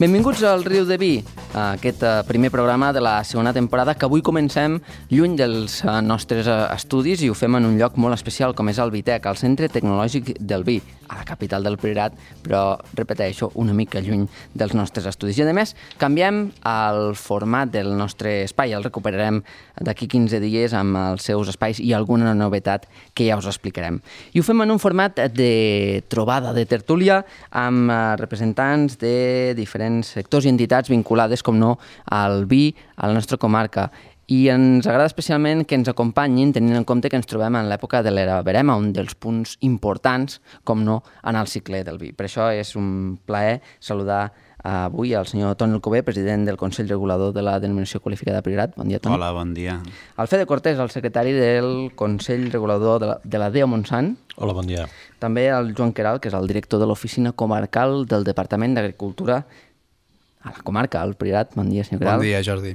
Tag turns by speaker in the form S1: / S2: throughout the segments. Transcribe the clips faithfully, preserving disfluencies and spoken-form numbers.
S1: Benvinguts al Riu de Vi, aquest primer programa de la segona temporada que avui comencem lluny dels nostres estudis i ho fem en un lloc molt especial com és el Vitec, el Centre Tecnològic del Vi, a la capital del Priorat, però, repeteixo, una mica lluny dels nostres estudis. I a més, canviem el format del nostre espai, el recuperarem d'aquí quinze dies amb els seus espais i alguna novetat que ja us explicarem. I ho fem en un format de trobada, de tertúlia, amb representants de diferents sectors i entitats vinculades, com no, al vi, a la nostra comarca. I ens agrada especialment que ens acompanyin tenint en compte que ens trobem en l'època de l'era verema, un dels punts importants, com no, en el cicle del vi. Per això és un plaer saludar avui el senyor Toni Alcover, president del Consell Regulador de la Denominació Qualificada Priorat. Bon dia, Toni.
S2: Hola, bon dia.
S1: Alfredo Cortés, el secretari del Consell Regulador de la, de la D E O Montsant.
S3: Hola, bon dia.
S1: També el Joan Queralt, que és el director de l'Oficina Comarcal del Departament d'Agricultura a la comarca, al Priorat. Bon dia, senyor Queralt.
S4: Bon dia, Jordi.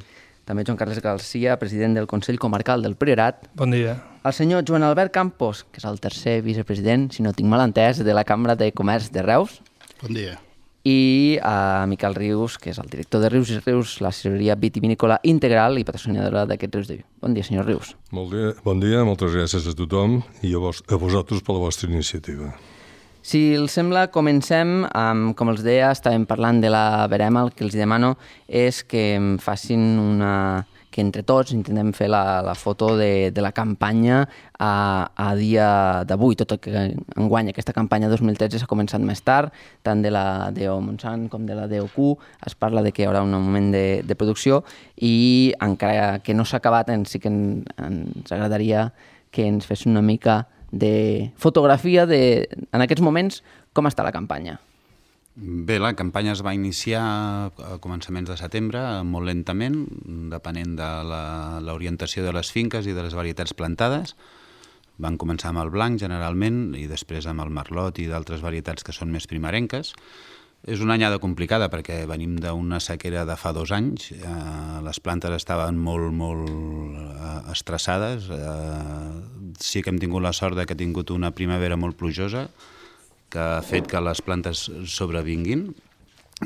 S1: També Joan Carles Garcia, president del Consell Comarcal del Priorat.
S5: Bon dia.
S1: El senyor Joan Albert Campos, que és el tercer vicepresident, si no tinc mal entès, de la Cambra de Comerç de Reus.
S4: Bon dia.
S1: I a Miquel Rius, que és el director de Rius i Rius, la cireria vitivinícola integral i patrocinadora d'aquest Rius de Vi. Bon dia, senyor Rius.
S6: Molt dia, bon dia, moltes gràcies a tothom i a, vos, a vosaltres per la vostra iniciativa.
S1: Si els sembla, comencem amb, com els deia, estàvem parlant de la verema, el que els demano és que em facin una... que entre tots intentem fer la, la foto de, de la campanya a, a dia d'avui, tot el que enguany aquesta campanya dos mil tretze s'ha començat més tard, tant de la D E O Montsant com de la D E O Q, es parla de que hi haurà un moment de, de producció i encara que no s'ha acabat, en, sí que en, ens agradaria que ens fes una mica de fotografia de, en aquests moments, com està la campanya.
S2: Bé, la campanya es va iniciar a començaments de setembre, molt lentament, depenent de l'orientació de les finques i de les varietats plantades. Van començar amb el blanc, generalment, i després amb el merlot i d'altres varietats que són més primerenques. És una anyada complicada perquè venim d'una sequera de fa dos anys. Eh, les plantes estaven molt, molt eh, estressades. Eh, sí que hem tingut la sort de que ha tingut una primavera molt plujosa, que ha fet que les plantes sobrevinguin.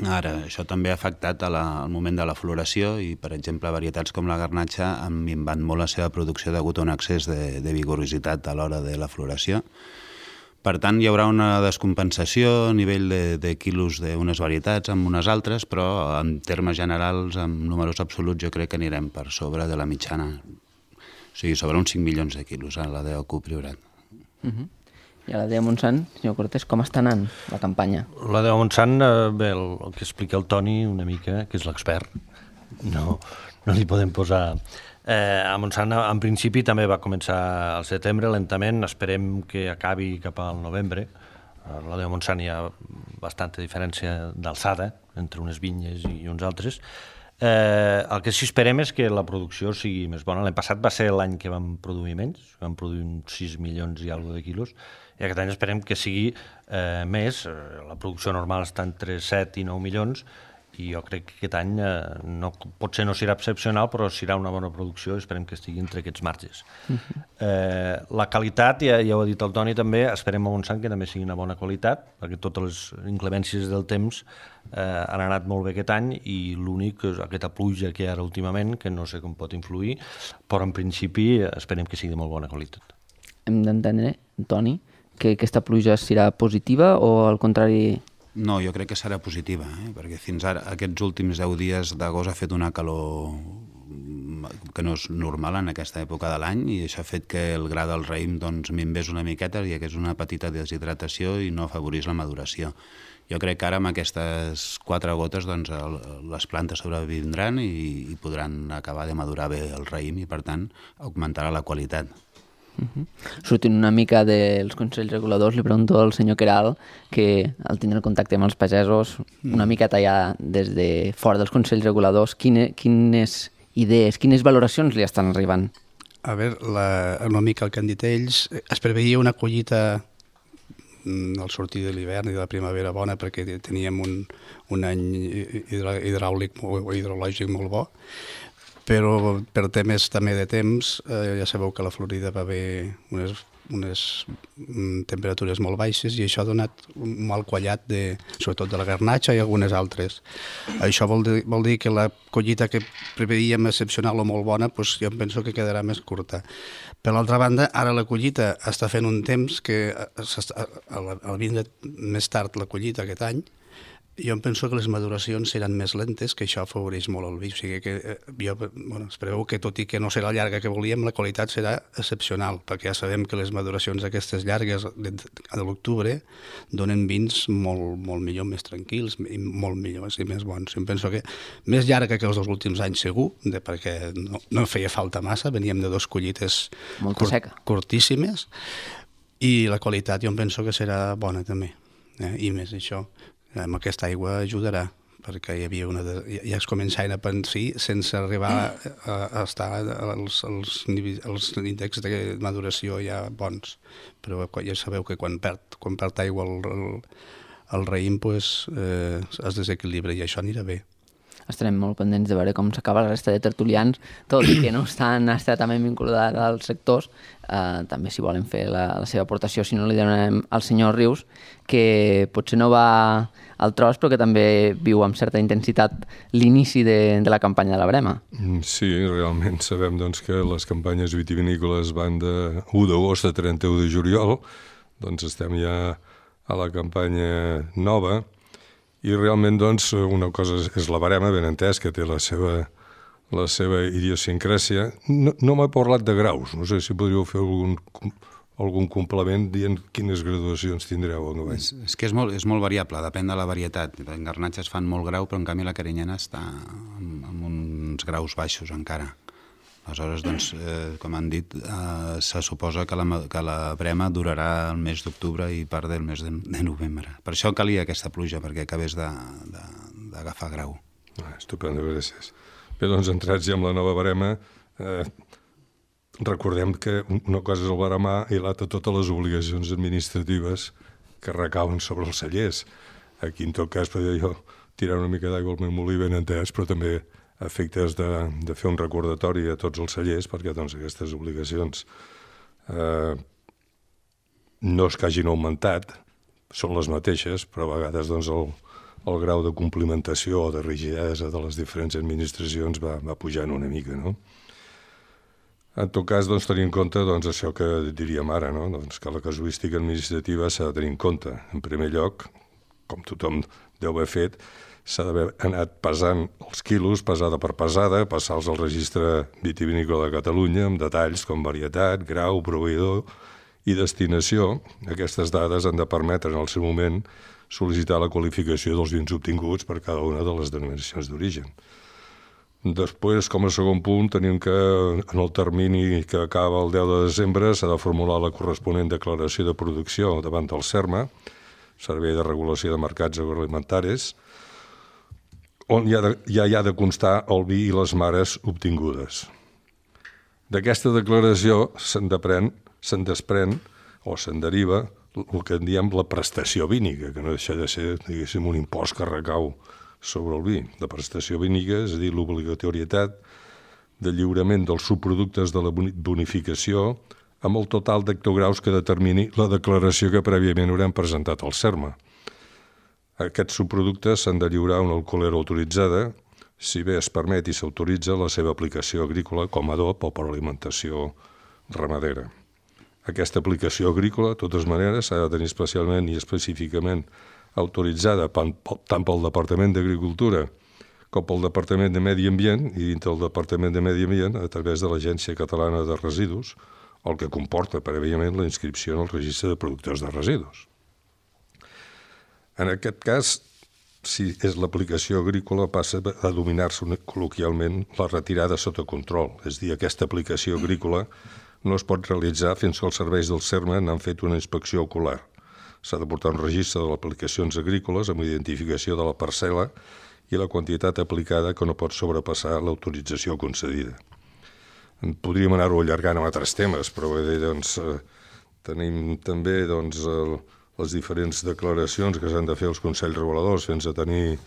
S2: Ara, això també ha afectat a la, al moment de la floració i, per exemple, varietats com la garnatxa han minvat molt la seva producció degut a un excés de, de vigorositat a l'hora de la floració. Per tant, hi haurà una descompensació a nivell de, de quilos d'unes varietats amb unes altres, però en termes generals, en números absoluts, jo crec que anirem per sobre de la mitjana. O sigui, sobre uns cinc milions de quilos a la D E O Q Priorat.
S1: Uh-huh. I a la D E O Montsant, senyor Cortés, com està anant la campanya?
S3: La D E O Montsant, eh, bé, el, el que explica el Toni una mica, que és l'expert, no, no li podem posar... Eh, a Montsant, en principi, també va començar al setembre, lentament, esperem que acabi cap al novembre. A la D E O Montsant hi ha bastanta diferència d'alçada entre unes vinyes i uns altres. Eh, el que sí esperem és que la producció sigui més bona. L'any passat va ser l'any que vam produir menys, vam produir uns sis milions i alguna de quilos, i aquest any esperem que sigui eh, més. La producció normal està entre set i nou milions, i jo crec que aquest any eh, no, potser no serà excepcional, però serà una bona producció i esperem que estigui entre aquests marges. Uh-huh. eh, la qualitat, ja, ja ho ha dit el Toni també, esperem a Montsant que també sigui una bona qualitat, perquè totes les inclemències del temps eh, han anat molt bé aquest any i l'únic és aquesta pluja que hi ha ara últimament, que no sé com pot influir, però en principi esperem que sigui de molt bona qualitat.
S1: Hem d'entendre, Toni, que aquesta pluja serà positiva o al contrari...
S2: No, jo crec que serà positiva, eh? Perquè fins ara, aquests últims deu dies d'agost ha fet una calor que no és normal en aquesta època de l'any i això ha fet que el gra del raïm doncs, minvés una miqueta i que és una petita deshidratació i no afavorís la maduració. Jo crec que ara amb aquestes quatre gotes doncs, el, les plantes sobrevindran i, i podran acabar de madurar bé el raïm i per tant augmentarà la qualitat.
S1: Uh-huh. Sortint una mica dels consells reguladors, li pregunto al senyor Queralt que al tindre el contacte amb els pagesos una miqueta ja des de fora dels consells reguladors, quine, quines idees, quines valoracions li estan arribant?
S4: A veure, la, una mica el que han dit ells, es preveia una collita al sortir de l'hivern i de la primavera bona perquè teníem un, un any hidra, hidràulic o hidrològic molt bo, però per temes també de temps, eh, ja sabeu que la Florida va haver unes unes temperatures molt baixes i això ha donat un mal quallat, de, sobretot de la garnatxa i algunes altres. Això vol dir, vol dir que la collita que preveíem excepcional o molt bona, doncs jo penso que quedarà més curta. Per l'altra banda, ara la collita està fent un temps que al vindre més tard la collita aquest any, jo em penso que les maduracions seran més lentes, que això afavoreix molt el vi. O sigui que jo, bueno, es preveu que tot i que no serà llarga que volíem, la qualitat serà excepcional, perquè ja sabem que les maduracions aquestes llargues de, de l'octubre donen vins molt, molt millor, més tranquils i molt millors i més bons. Jo em penso que més llarga que els dos últims anys segur, de, perquè no, no feia falta massa, veníem de dos collites curt, curtíssimes, i la qualitat jo em penso que serà bona també, eh? I més això. Amb aquesta aigua ajudarà, perquè hi havia una de, ja es començaven a pensar sense arribar a, a estar als, als, als índexs de maduració ja bons. Però ja sabeu que quan perd, quan perd aigua el, el, el raïm pues, eh, es desequilibra i això anirà bé.
S1: Estarem molt pendents de veure com s'acaba la resta de tertulians, tot i que no estan estretament vinculats als sectors, eh, també si volen fer la, la seva aportació, si no li donem al senyor Rius, que potser no va al tros, però que també viu amb certa intensitat l'inici de, de la campanya de la Brema.
S6: Sí, realment sabem doncs, que les campanyes vitivinícoles van de u d'agost a trenta-u de juliol, doncs estem ja a la campanya nova, i realment doncs, una cosa és la barema, ben entès, que té la seva, la seva idiosincràsia. No, no m'ha parlat de graus, no sé si podríeu fer algun, algun complement dient quines graduacions tindreu. No?
S2: És, és que és molt, és molt variable, depèn de la varietat. En garnatges fan molt grau, però en canvi la carinyena està amb, amb uns graus baixos encara. Aleshores, doncs, eh, com han dit, eh, se suposa que la, que la brema durarà el mes d'octubre i part del mes de, de novembre. Per això calia aquesta pluja, perquè acabés d'agafar grau.
S6: Ah, estupendo, gràcies. Bé, doncs, entrats ja amb la nova barema, eh, recordem que una cosa és el baremar i l'altra totes les obligacions administratives que recauen sobre els cellers. Aquí, en tot cas, podria jo tirar una mica d'aigua al meu molí ben entès, però també a efectes de, de fer un recordatori a tots els cellers, perquè doncs, aquestes obligacions eh, no és que hagin augmentat, són les mateixes, però a vegades doncs, el, el grau de complimentació o de rigidesa de les diferents administracions va, va pujant una mica, no? En tot cas, doncs, tenir en compte doncs, això que diríem ara, no? Doncs, que la casuística administrativa s'ha de tenir en compte. En primer lloc, com tothom deu haver fet, s'ha d'haver anat pesant els quilos, pesada per pesada, passar-los al registre vitivinícola de Catalunya amb detalls com varietat, grau, proveïdor i destinació. Aquestes dades han de permetre en el seu moment sol·licitar la qualificació dels vins obtinguts per cada una de les denominacions d'origen. Després, com a segon punt, tenim que en el termini que acaba el deu de desembre s'ha de formular la corresponent declaració de producció davant del SERMA, Servei de Regulació de Mercats Agroalimentaris, on ja, de, ja hi ha de constar el vi i les mares obtingudes. D'aquesta declaració se'n se'n desprèn o se'n deriva el que en diem la prestació vínica, que no deixa de ser, diguéssim, un impost que recau sobre el vi. La prestació vínica, és a dir, l'obligatorietat de lliurament dels subproductes de la bonificació amb el total d'hectograus que determini la declaració que prèviament haurem presentat al SERMA. Aquests subproductes s'han de lliurar a una alcoholera autoritzada, si bé es permet i s'autoritza la seva aplicació agrícola com a adob o per alimentació ramadera. Aquesta aplicació agrícola, de totes maneres, s'ha de tenir especialment i específicament autoritzada tant pel Departament d'Agricultura com pel Departament de Medi Ambient i dintre del Departament de Medi Ambient a través de l'Agència Catalana de Residus, el que comporta prèviament la inscripció en el registre de productors de residus. En aquest cas, si és l'aplicació agrícola, passa a dominar-se col·loquialment la retirada sota control. És a dir, aquesta aplicació agrícola no es pot realitzar fins que els serveis del SERMA n'han fet una inspecció ocular. S'ha de portar un registre de les aplicacions agrícoles amb identificació de la parcel·la i la quantitat aplicada que no pot sobrepassar l'autorització concedida. Podríem anar-ho allargant amb altres temes, però bé, doncs, tenim també doncs, el, les diferents declaracions que s'han de fer els Consells Reguladors fins a tenir,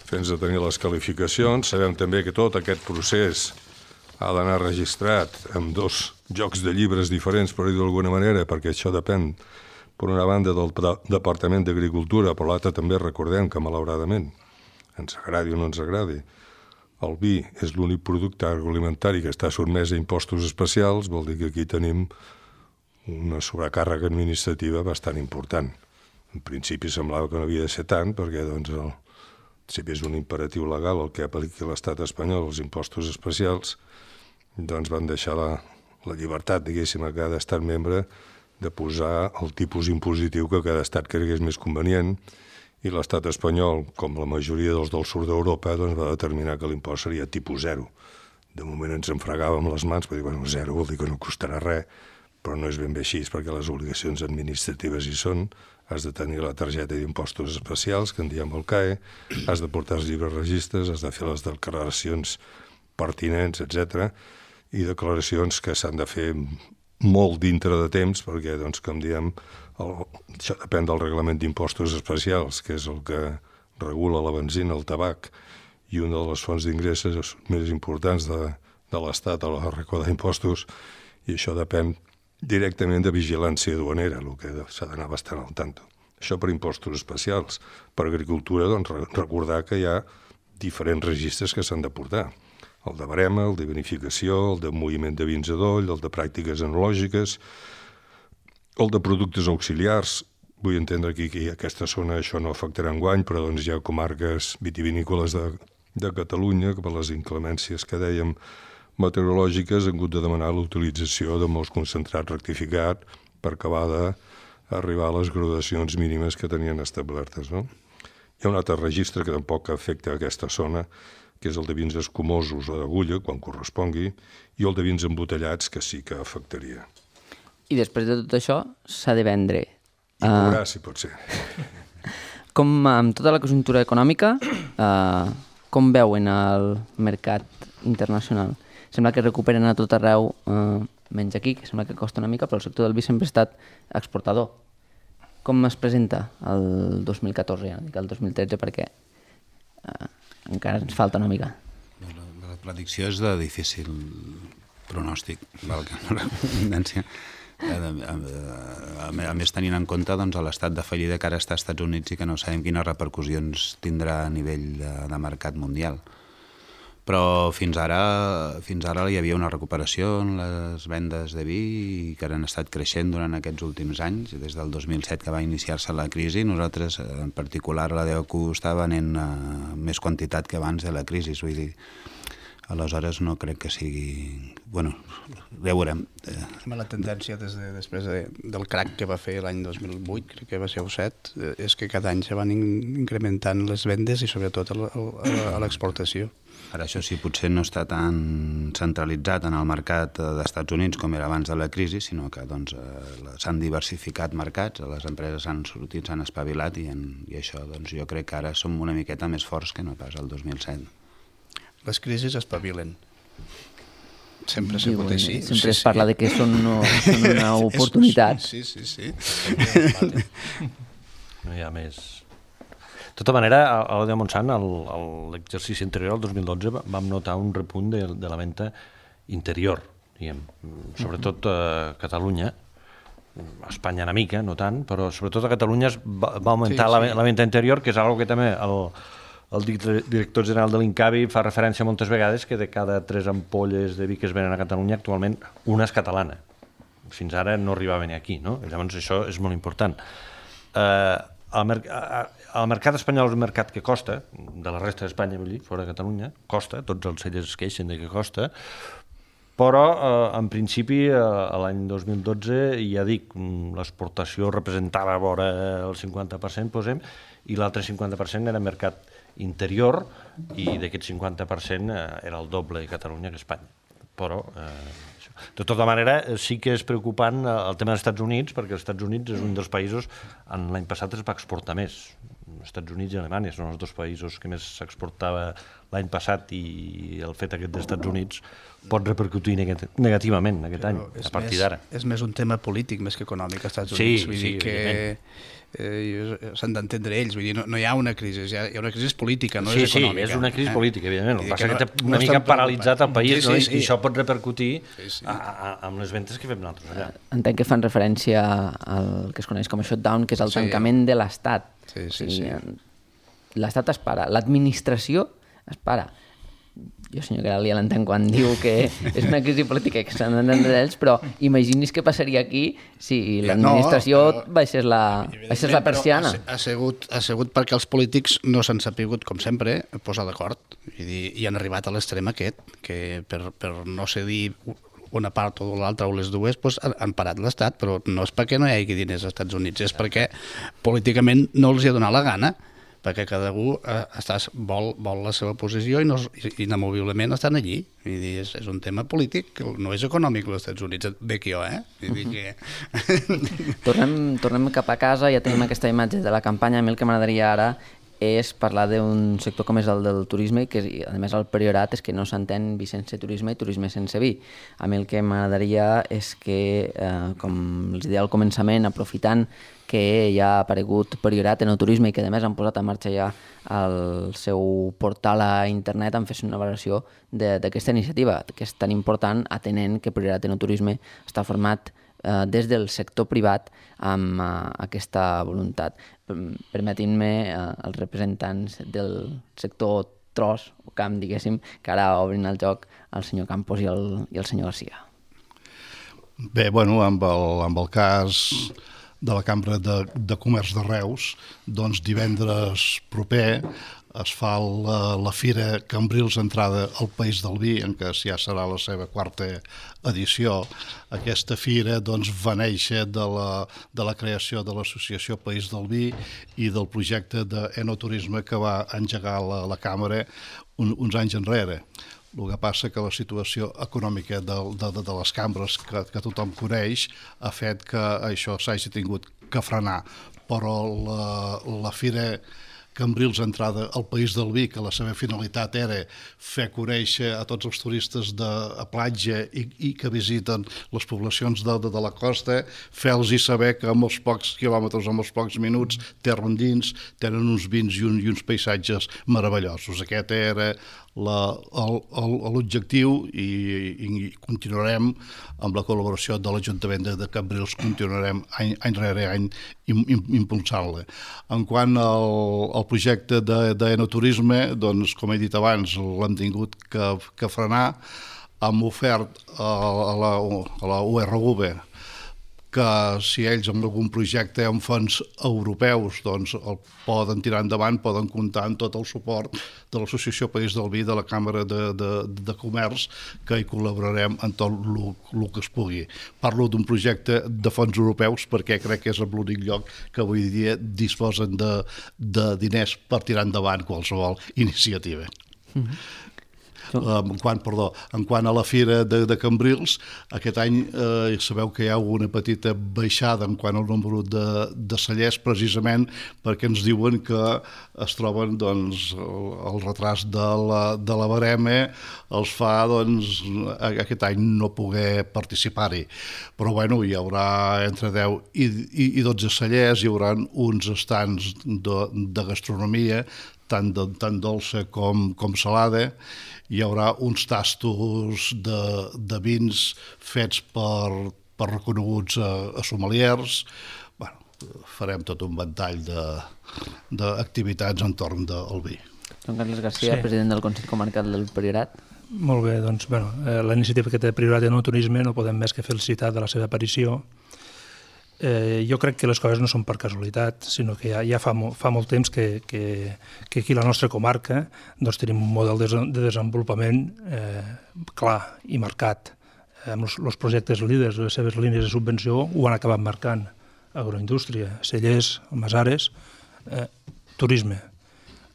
S6: fins a tenir les qualificacions. Sabem també que tot aquest procés ha d'anar registrat amb dos jocs de llibres diferents, per dir-ho d'alguna manera, perquè això depèn, per una banda, del Departament d'Agricultura, però l'altra també recordem que, malauradament, ens agradi o no ens agradi, el vi és l'únic producte agroalimentari que està sotmès a impostos especials, vol dir que aquí tenim una sobrecàrrega administrativa bastant important. En principi semblava que no havia de ser tant, perquè doncs, el, si bé és un imperatiu legal el que apliqui l'estat espanyol, els impostos especials, doncs van deixar la, la llibertat, diguéssim, a cada estat membre de posar el tipus impositiu que cada estat cregués més convenient, i l'estat espanyol, com la majoria dels del sud d'Europa, doncs va determinar que l'impost seria tipus zero. De moment ens enfregàvem les mans, per dir, bueno, zero vol dir que no costarà res, però no és ben bé així, perquè les obligacions administratives hi són, has de tenir la targeta d'impostos especials, que en diem el C A E, has de portar els llibres registres, has de fer les declaracions pertinents, etcètera, i declaracions que s'han de fer molt dintre de temps, perquè, doncs, com diem, el, això depèn del reglament d'impostos especials, que és el que regula la benzina, el tabac, i una de les fonts d'ingressos més importants de, de l'Estat a la recordar impostos, i això depèn directament de vigilància duanera, el que s'ha d'anar bastant al tanto. Això per impostos especials. Per agricultura, doncs, recordar que hi ha diferents registres que s'han de portar. El de barema, el de vinificació, el de moviment de vins a doll, el de pràctiques enològiques, el de productes auxiliars. Vull entendre aquí que aquesta zona això no afectarà enguany, però doncs hi ha comarques vitivinícoles de, de Catalunya que per les inclemències que dèiem meteorològiques han hagut de demanar l'utilització de molts concentrats rectificat per acabar d'arribar a les graduacions mínimes que tenien establertes, no? Hi ha un altre registre que tampoc afecta aquesta zona, que és el de vins escumosos o d'agulla, quan correspongui, i el de vins embotellats, que sí que afectaria.
S1: I després de tot això s'ha de vendre.
S6: I cobrar, uh, si pot ser.
S1: Com amb tota la conjuntura econòmica, uh, com veuen el mercat internacional? Sembla que recuperen a tot arreu, uh, menys aquí, que sembla que costa una mica, però el sector del vi sempre ha estat exportador. Com es presenta el dos mil catorze, ja no dic el dos mil tretze, perquè uh, encara ens falta una mica.
S2: La, la predicció és de difícil pronòstic, val que no la tendència. A, a, a, a més, tenint en compte doncs, l'estat de fallida que ara està als Estats Units i que no sabem quines repercussions tindrà a nivell de, de mercat mundial. Però fins ara, fins ara hi havia una recuperació en les vendes de vi que han estat creixent durant aquests últims anys, des del dos mil set que va iniciar-se la crisi. Nosaltres, en particular, la D E C U està venent uh, més quantitat que abans de la crisi, vull dir, aleshores no crec que sigui... Bueno, ja ho veurem.
S4: La tendència des de, després de, del crac que va fer l'any dos mil vuit, crec que va ser el set, és que cada any se van incrementant les vendes i sobretot a l'exportació.
S2: Ara això sí, potser no està tan centralitzat en el mercat d'Estats Units com era abans de la crisi, sinó que doncs, s'han diversificat mercats, les empreses s'han sortit, s'han espavilat i, en, i això doncs, jo crec que ara som una miqueta més forts que no pas el dos mil set.
S4: Les crisis espavilen. Sempre s'ha pot així.
S1: Sempre es parla de que són, no, són una oportunitat.
S4: Sí, sí, sí.
S3: No hi ha més... De tota manera, a l'O D Montsant, l'exercici anterior, el dos mil dotze, vam notar un repunt de, de la venda interior, diguem, sobretot a Catalunya, a Espanya una mica, no tant, però sobretot a Catalunya va, va augmentar sí, sí. La, la venda interior, que és una que també el, el director general de l'Incavi fa referència moltes vegades que de cada tres ampolles de vi que es venen a Catalunya, actualment una és catalana. Fins ara no arribava ni aquí, no? Llavors això és molt important. Eh... El, mer el mercat espanyol és un mercat que costa, de la resta d'Espanya, vull dir, fora de Catalunya, costa, tots els cellers es queixen de que costa, però eh, en principi eh, l'any dos mil dotze, ja dic, l'exportació representava vora el cinquanta per cent, posem, i l'altre cinquanta per cent era mercat interior, i d'aquest cinquanta per cent eh, era el doble de Catalunya que Espanya. Però... Eh, de tota manera, sí que és preocupant el tema dels Estats Units, perquè els Estats Units és un dels països, l'any passat es va exportar més Estats Units i Alemanya són els dos països que més s'exportava l'any passat, i el fet aquest dels Estats Units pot repercutir negativament aquest any, a partir d'ara.
S4: És més un tema polític més que econòmic als Estats
S3: Sí,
S4: Units. Vull
S3: sí,
S4: dir que eh, s'han d'entendre ells. Vull dir, no, no hi ha una crisi, hi ha, hi ha una crisi política, no
S3: sí,
S4: és econòmica.
S3: Sí, és una crisi eh? política, evidentment. El que passa que, no, que té una
S4: no
S3: mica paralitzat el país,
S4: sí, sí,
S3: no?
S4: sí.
S3: I això pot repercutir
S4: sí, sí.
S3: A, a, amb les ventes que fem nosaltres allà.
S1: Entenc que fan referència al que es coneix com a shutdown, que és el
S4: sí.
S1: tancament de l'Estat.
S4: Sí, sí,
S1: o sigui,
S4: sí.
S1: L'Estat es para, l'administració es para. Jo, senyor Queralt, ja l'entenc quan diu que és una crisi política que s'han d'entendre ells, però imagini's què passaria aquí si l'administració no, però, baixés, la, baixés la persiana.
S4: Ha, ha, sigut, ha sigut perquè els polítics no s'han sapigut, com sempre, posar d'acord i, i han arribat a l'extrem aquest, que per, per no cedir una part o l'altra o les dues doncs han parat l'Estat, però no és perquè no hi hagi diners als Estats Units, és perquè políticament no els hi ha donat la gana, perquè cada un eh, estàs, vol, vol la seva posició i, no, i inamoviblement estan allí. Vull dir, és, és un tema polític, no és econòmic als Estats Units, bec jo, eh? Vull dir que...
S1: tornem, tornem cap a casa, ja tenim aquesta imatge de la campanya. A mi el que m'agradaria ara és parlar d'un sector com és el del turisme, que a més el priorat és que no s'entén vi sense turisme i turisme sense vi. A mi el que m'agradaria és que, eh, com els deia al començament, aprofitant que ja ha aparegut priorat en el turisme i que a més han posat en marxa ja el seu portal a internet, en fes una valoració d'aquesta iniciativa, que és tan important atenent que priorat en el turisme està format eh, des del sector privat amb eh, aquesta voluntat. Permetin-me eh, els representants del sector tros o camp, diguéssim, que ara obrin el joc el senyor Campos i el, i el senyor Garcia.
S5: Bé, bueno, amb el, amb el cas de la Cambra de, de Comerç de Reus, doncs divendres proper es fa la, la Fira Cambrils Entrada al País del Vi, en què ja serà la seva quarta edició. Aquesta fira doncs, va néixer de la, de la creació de l'Associació País del Vi i del projecte d'enoturisme que va engegar la, la Càmera un, uns anys enrere. El que passa que la situació econòmica de, de, de les cambres que, que tothom coneix ha fet que això s'hagi tingut que frenar, però la, la Fira Cambrils Entrada al País del Vi, que la seva finalitat era fer conèixer a tots els turistes de a platja i, i que visiten les poblacions de, de, de la costa, fer-los saber que amb els pocs quilòmetres, amb els pocs minuts, terra endins, tenen uns vins i, un, i uns paisatges meravellosos. Aquest era l'objectiu i, i continuarem amb la col·laboració de l'Ajuntament de, de Cambrils, continuarem any, any rere any impulsant-la. En quant al, al projecte d'enoturisme, doncs, com he dit abans, l'hem tingut que, que frenar. Hem ofert a, a, la, a la U R V que si ells amb algun projecte amb fons europeus doncs el poden tirar endavant, poden comptar amb tot el suport de l'Associació País del Vi, de la Càmera de, de, de Comerç, que hi col·laborarem en tot el que es pugui. Parlo d'un projecte de fons europeus perquè crec que és l'únic lloc que avui dia disposen de, de diners per tirar endavant qualsevol iniciativa. Mm-hmm. En quant, perdó, en quant a la Fira de, de Cambrils, aquest any eh, sabeu que hi ha una petita baixada en quant al nombre de, de cellers, precisament perquè ens diuen que es troben doncs, el, el retras de la, de la barema els fa doncs, aquest any no poder participar-hi. Però bueno, hi haurà entre deu i, i, i dotze cellers, hi haurà uns estants de, de gastronomia, tant, de, tant dolça com, com salada. Hi haurà uns tastos de, de vins fets per, per reconeguts a, a sommeliers. Bueno, farem tot un ventall d'activitats entorn del vi.
S1: Joan Carles Garcia, sí. President del Consell Comarcal del Priorat.
S7: Molt bé, doncs bueno, eh, la iniciativa que té Priorat en el turisme no podem més que felicitar de la seva aparició. Eh, jo crec que les coses no són per casualitat, sinó que ja, ja fa, mo, fa molt temps que, que, que aquí a la nostra comarca doncs, tenim un model de, de desenvolupament eh, clar i marcat. Eh, amb els projectes líders, les seves línies de subvenció ho han acabat marcant. Agroindústria, cellers, almasares, eh, turisme.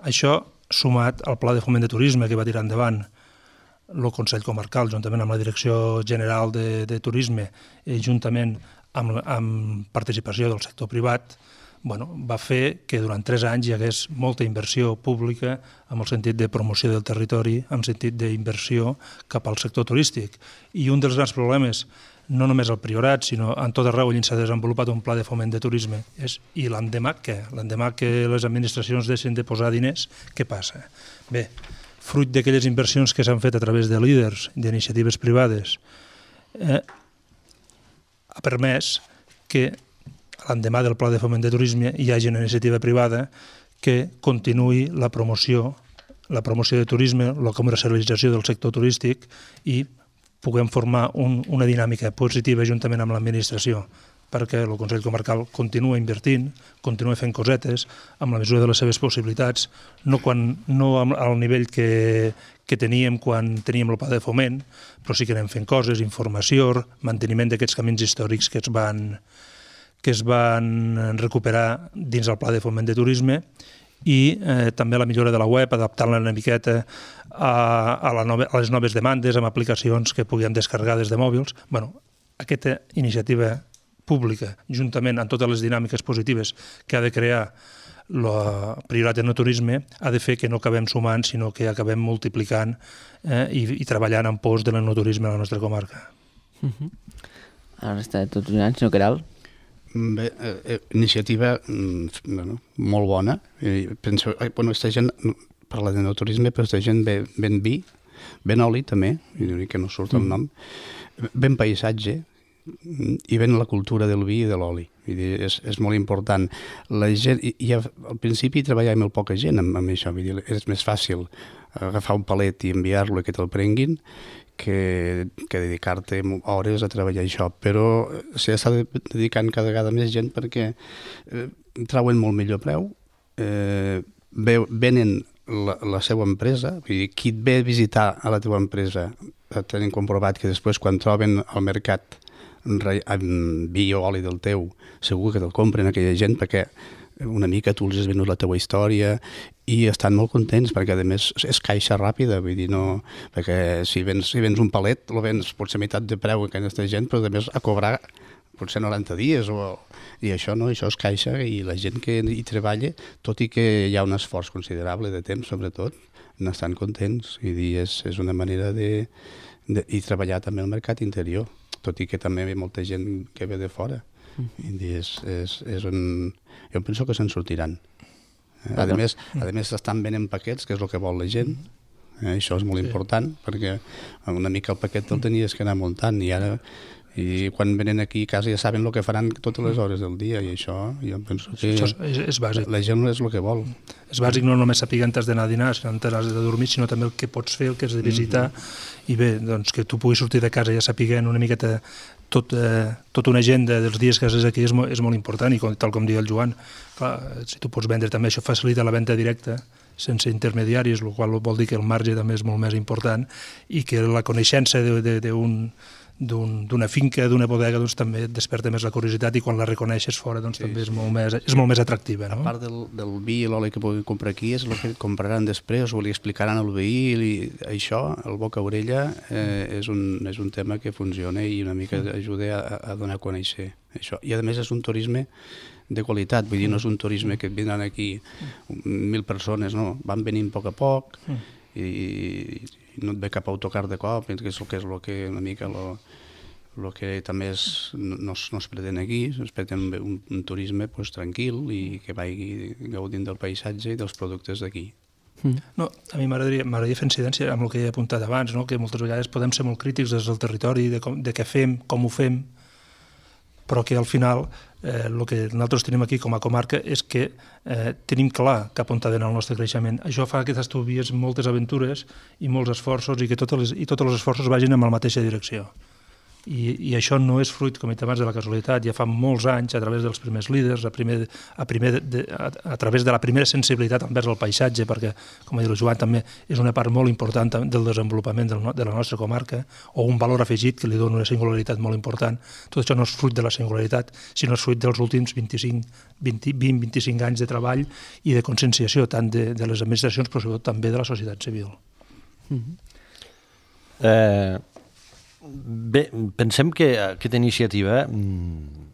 S7: Això sumat al Pla de Foment de Turisme que va tirar endavant el Consell Comarcal, juntament amb la Direcció General de, de Turisme, i juntament amb, amb participació del sector privat, bueno, va fer que durant tres anys hi hagués molta inversió pública en el sentit de promoció del territori, en el sentit d'inversió cap al sector turístic. I un dels grans problemes, no només al Priorat, sinó en tot arreu on s'ha desenvolupat un pla de foment de turisme, és i l'endemà què? L'endemà que les administracions deixen de posar diners, què passa? Bé, fruit d'aquelles inversions que s'han fet a través de líders, d'iniciatives privades, eh, ha permès que l'endemà del pla de foment de turisme hi hagi una iniciativa privada que continuï la promoció, la promoció de turisme, la comercialització del sector turístic i puguem formar un, una dinàmica positiva juntament amb l'administració, perquè el Consell Comarcal continua invertint, continua fent cosetes amb la mesura de les seves possibilitats, no, quan, no al nivell que, que teníem quan teníem el pla de foment, però sí que anem fent coses, informació, manteniment d'aquests camins històrics que es van, que es van recuperar dins el pla de foment de turisme i eh, també la millora de la web, adaptant-la una miqueta a, a, la nove, a les noves demandes, amb aplicacions que puguem descarregar des de mòbils. Bueno, aquesta iniciativa pública, juntament amb totes les dinàmiques positives que ha de crear la Priorat en el turisme, ha de fer que no acabem sumant, sinó que acabem multiplicant eh, i, i treballant en pos de l'enoturisme a la nostra comarca.
S1: Uh-huh. Ara està tot un any, senyor Queralt.
S4: Bé, eh, iniciativa bueno, molt bona. Penso, eh, bueno, aquesta gent parla de no-turisme, però aquesta gent ve, ven vi, ven oli també, i que no surt el nom, ven paisatge i ven la cultura del vi i de l'oli. És, és molt important. La gent, i, i al principi treballava molt poca gent amb, amb això, vull dir, és més fàcil agafar un palet i enviar-lo i que te'l prenguin que, que dedicar-te hores a treballar això, però s'està dedicant cada vegada més gent perquè eh, trauen molt millor preu, eh, venen la, la seva empresa, vull dir, qui et ve a visitar a la teva empresa tenen comprovat que després quan troben al mercat amb vi o oli del teu, segur que te'l compren aquella gent perquè una mica tu els has venut la teua història i estan molt contents perquè a més és caixa ràpida, vull dir, no, perquè si vens, si vens un palet el vens potser meitat de preu que aquesta gent, però a més a cobrar potser noranta dies o, i això no, això és caixa i la gent que hi treballa, tot i que hi ha un esforç considerable de temps sobretot, n'estan contents i dir, és, és una manera de, de i treballar també al mercat interior, tot i que també hi ha molta gent que ve de fora. I és, és, és un... Jo penso que se'n sortiran. A més, a més estan venent paquets, que és el que vol la gent. Eh, això és molt sí. important, perquè una mica el paquet el tenies que anar muntant i ara i quan venen aquí a casa ja saben el que faran totes les hores del dia i això jo penso que
S7: això és, és bàsic.
S4: La gent és el que vol.
S7: És bàsic no només saber on has d'anar a dinar, si on has de dormir, sinó també el que pots fer, el que has de visitar mm-hmm. i bé, doncs que tu puguis sortir de casa ja sapiguent una miqueta tot, eh, tota una agenda dels dies que has aquí és molt, és molt important i com, tal com diu el Joan, clar, si tu pots vendre també això facilita la venda directa sense intermediaris, el qual vol dir que el marge també és molt més important i que la coneixença d'un d'una finca, d'una bodega, doncs també et desperta més la curiositat i quan la reconeixes fora doncs sí, també és molt més, és molt més atractiva. No?
S4: A part del, del vi i l'oli que puguin comprar aquí és el que compraran després o li explicaran al veí i això, el boca-orella eh, és, un, és un tema que funciona i una mica ajuda a, a donar a conèixer això. I a més és un turisme de qualitat, vull dir, no és un turisme que vindran aquí mil persones, no, van venint a poc a poc i, i no et ve cap autocar de cop, que és el que és el que una mica lo, lo que també és, no, no es pretén aquí, es pretén un, un turisme pues, tranquil i que vagi gaudint del paisatge i dels productes d'aquí.
S7: No, a mi m'agradaria fer incidència amb el que he apuntat abans, no? Que moltes vegades podem ser molt crítics des del territori, de, com, de què fem, com ho fem, però que al final eh, el que nosaltres tenim aquí com a comarca és que eh, tenim clar cap on ha d'anar el nostre creixement. Això fa que t'estuvies moltes aventures i molts esforços i que totes les, i tots els esforços vagin en la mateixa direcció. I, i això no és fruit, com he dit abans, de la casualitat. Ja fa molts anys, a través dels primers líders, a, primer, a, primer de, a, a través de la primera sensibilitat envers el paisatge, perquè, com ha dit el Joan, també és una part molt important del desenvolupament del, de la nostra comarca, o un valor afegit que li dona una singularitat molt important. Tot això no és fruit de la singularitat, sinó és fruit dels últims vint-i-cinc, vint, vint, vint-i-cinc anys de treball i de conscienciació, tant de, de les administracions, però sobretot també de la societat civil.
S3: Mm-hmm. Eh... Bé, pensem que aquesta iniciativa mm,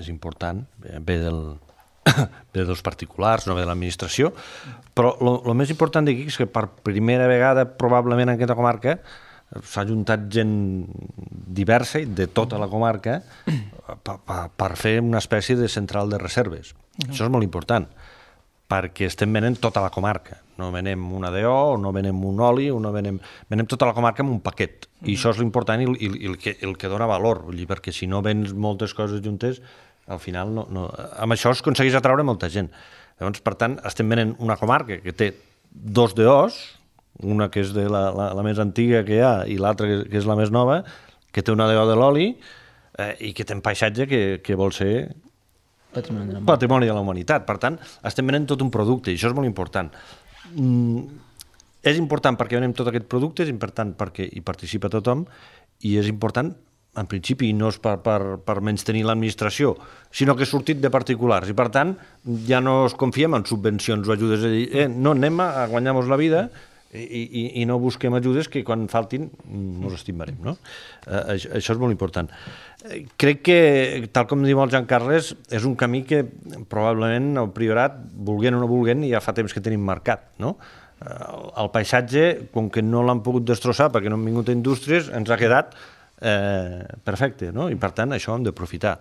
S3: és important, ve del, ve dels particulars, no ve de l'administració, però el més important d'aquí és que per primera vegada probablement en aquesta comarca s'ha juntat gent diversa de tota la comarca per, per, per fer una espècie de central de reserves. Uh-huh. Això és molt important, perquè estem venent tota la comarca. No venem una D O, no venem un oli, no venem, venem tota la comarca en un paquet. Uh-huh. I això és l'important i, i, i el, que, el que dona valor, vull dir, perquè si no vens moltes coses juntes, al final no, no, amb això es aconsegueix atraure molta gent. Llavors, per tant, estem venent una comarca que té dos D Os, una que és de la, la, la més antiga que hi ha i l'altra que, que és la més nova, que té una D O de l'oli eh, i que té un paisatge que, que vol ser patrimoni de, patrimoni de la humanitat. Per tant, estem venent tot un producte i això és molt important. Mm, és important perquè venem tot aquest producte, és important perquè hi participa tothom i és important en principi no és per, per, per menys tenir l'administració, sinó que ha sortit de particulars i per tant ja no es confiem en subvencions o ajudes, a dir, eh, no anem a guanyar-nos la vida i, i, i no busquem ajudes que quan faltin ens estimarem, no? Eh, això, això és molt important. Eh, crec que, tal com diu el Joan Carles, és un camí que probablement el Priorat, volguent o no volguent, ja fa temps que tenim marcat, no? Eh, el paisatge, com que no l'han pogut destrossar perquè no han vingut a indústries, ens ha quedat Eh, perfecte, no? I per tant això hem d'aprofitar.